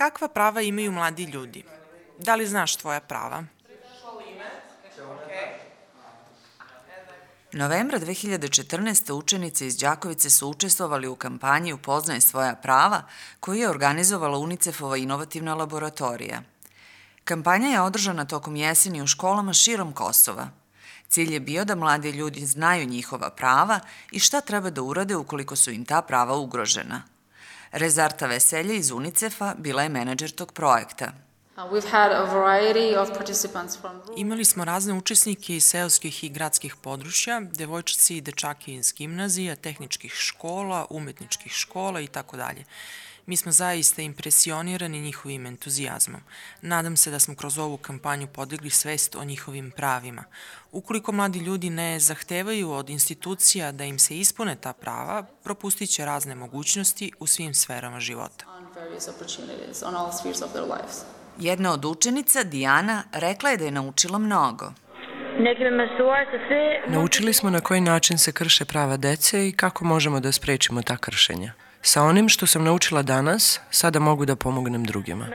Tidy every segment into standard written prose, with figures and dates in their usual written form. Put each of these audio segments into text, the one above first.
Kakva prava imaju mladi ljudi? Da li znaš tvoja prava? Novembra 2014. učenice iz Đakovice su učestvovali u kampanji Upoznaj svoja prava koju je organizovala UNICEF-ova inovativna laboratorija. Kampanja je održana tokom jeseni u školama širom Kosova. Cilj je bio da mladi ljudi znaju njihova prava i šta treba da urade ukoliko su im ta prava ugrožena. Rezarta Veselje iz UNICEF-a bila je menadžer tog projekta. Imali smo razne učesnike iz seoskih i gradskih područja, devojčice i dečake iz gimnazija, tehničkih škola, umetničkih škola i tako dalje. Mi smo zaista impresionirani njihovim entuzijazmom. Nadam se da smo kroz ovu kampanju podigli svest o njihovim pravima. Ukoliko mladi ljudi ne zahtevaju od institucija da im se ispune ta prava, propustit će razne mogućnosti u svim sferama života. Jedna od učenica, Dijana, rekla je da je naučila mnogo. Naučili smo na koji način se krše prava dece i kako možemo da sprečimo ta kršenja. Sa onim što sam naučila danas, sada mogu da pomognem drugima.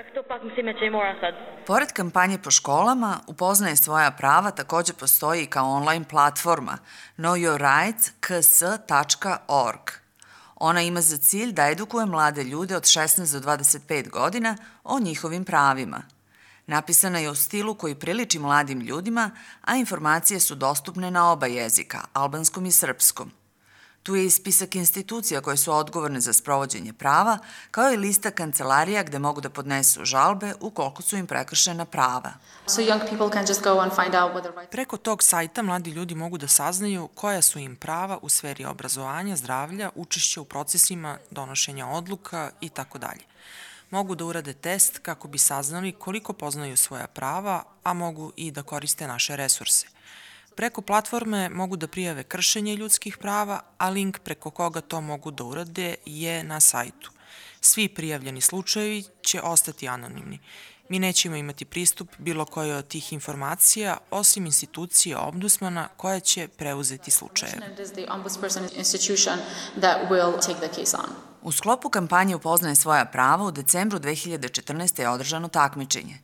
Pored kampanje po školama, Upoznaje svoja prava takođe postoji kao online platforma knowyourrights.ks.org. Ona ima za cilj da edukuje mlade ljude od 16 do 25 godina o njihovim pravima. Napisana je u stilu koji priliči mladim ljudima, a informacije su dostupne na oba jezika, albanskom i srpskom. Tu je i spisak institucija koje su odgovorne za sprovođenje prava, kao i lista kancelarija gde mogu da podnesu žalbe ukoliko su im prekršena prava. Preko tog sajta mladi ljudi mogu da saznaju koja su im prava u sferi obrazovanja, zdravlja, učešća u procesima donošenja odluka i tako dalje. Mogu da urade test kako bi saznali koliko poznaju svoja prava, a mogu i da koriste naše resurse. Preko platforme mogu da prijave kršenje ljudskih prava, a link preko koga to mogu da urade je na sajtu. Svi prijavljeni slučajevi će ostati anonimni. Mi nećemo imati pristup bilo koje od tih informacija, osim institucije Ombudsmana koja će preuzeti slučajeve. U sklopu kampanje Upoznaje svoja prava u decembru 2014. je održano takmičenje.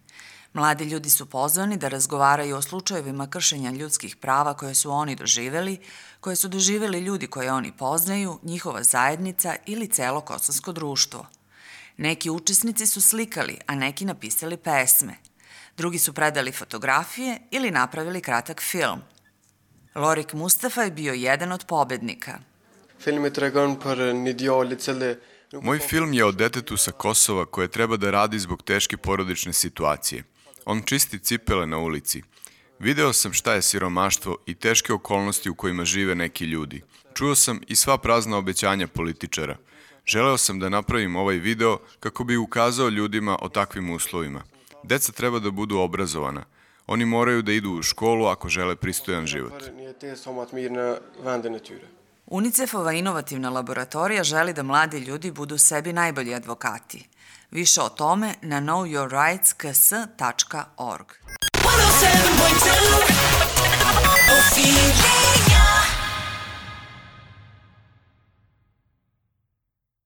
Mladi ljudi su pozvani da razgovaraju o slučajevima kršenja ljudskih prava koje su oni doživeli, koje su doživeli ljudi koje oni poznaju, njihova zajednica ili celo kosovsko društvo. Neki učesnici su slikali, a neki napisali pesme. Drugi su predali fotografije ili napravili kratak film. Lorik Mustafa je bio jedan od pobednika. Moj film je o detetu sa Kosova koje treba da radi zbog teške porodične situacije. On čisti cipele na ulici. Video sam šta je siromaštvo i teške okolnosti u kojima žive neki ljudi. Čuo sam i sva prazna obećanja političara. Želeo sam da napravim ovaj video kako bi ukazao ljudima o takvim uslovima. Deca treba da budu obrazovana. Oni moraju da idu u školu ako žele pristojan život. UNICEF-ova inovativna laboratorija želi da mladi ljudi budu sebi najbolji advokati. Više o tome na knowyourrights.ks.org. 107.2